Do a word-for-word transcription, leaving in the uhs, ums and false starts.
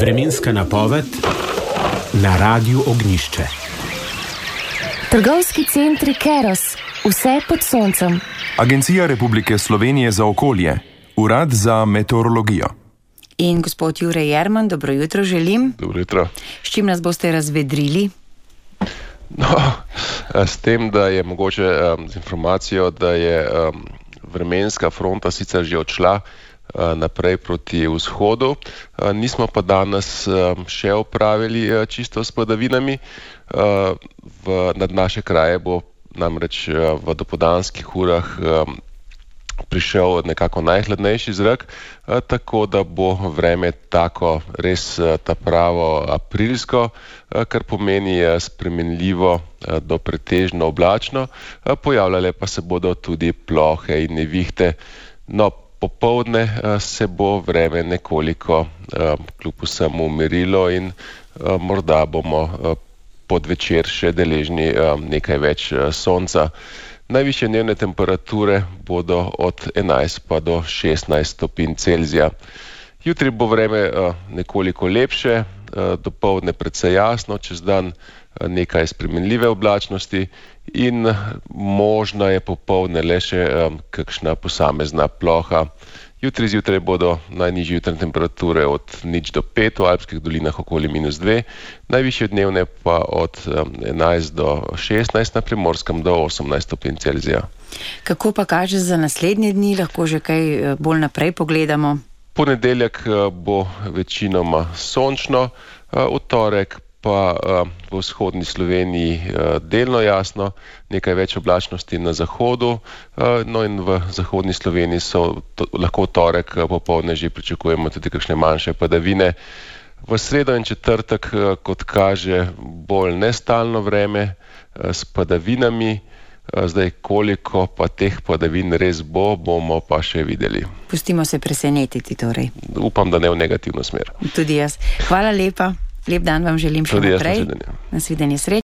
Vremenska napoved na Radiu Ognjišče. Trgovski centri Keros, vse pod soncem. Agencija Republike Slovenije za okolje, Urad za meteorologijo. In gospod Jure Jerman, dobro jutro želim. Dobro jutro. S čim nas boste razvedrili? No, s tem, da je mogoče um, z informacijo, da je um, vremenska fronta sicer že odšla uh, naprej proti vzhodu, uh, nismo pa danes um, še opravili uh, čisto s padavinami. Uh, v, nad naše kraje bo namreč uh, v dopoldanskih urah um, prišel nekako najhladnejši zrak, uh, tako da bo vreme tako res uh, ta pravo aprilsko, uh, kar pomeni uh, spremenljivo uh, do pretežno oblačno, uh, pojavljale pa se bodo tudi plohe in nevihte. No, popoldne uh, se bo vreme nekoliko uh, kljub vsemu umirilo in uh, morda bomo uh, podvečer še deležni uh, nekaj več uh, sonca. Najvišje dnevne temperature bodo od enajst pa do šestnajst stopinj Celzija. Jutri bo vreme uh, nekoliko lepše, uh, dopoldne precej jasno, čez dan uh, nekaj spremenljive oblačnosti in možna je popoldne le še um, kakšna posamezna ploha. Jutri zjutraj bodo najnižje jutranje temperature od nič do pet, v alpskih dolinah okoli minus dve, najvišje dnevne pa od um, enajst do šestnajst, na Primorskem do osemnajst stopinj Celzija. Kako pa kaže za naslednje dni, lahko že kaj bolj naprej pogledamo? Ponedeljek uh, bo večinoma sončno, uh, v torek pa uh, v vzhodni Sloveniji uh, delno jasno, nekaj več oblačnosti na zahodu, uh, no in v zahodni Sloveniji so to, lahko v torek uh, popoldne že pričakujemo tudi kakšne manjše padavine. V sredo in četrtek, uh, kot kaže, bolj nestalno vreme uh, s padavinami. Uh, zdaj, koliko pa teh padavin res bo, bomo pa še videli. Pustimo se presenetiti torej. Upam, da ne v negativno smer. Tudi jaz. Hvala lepa. Lep dan vam želim še naprej. Nasvidenje. Nasvidenje, srečno.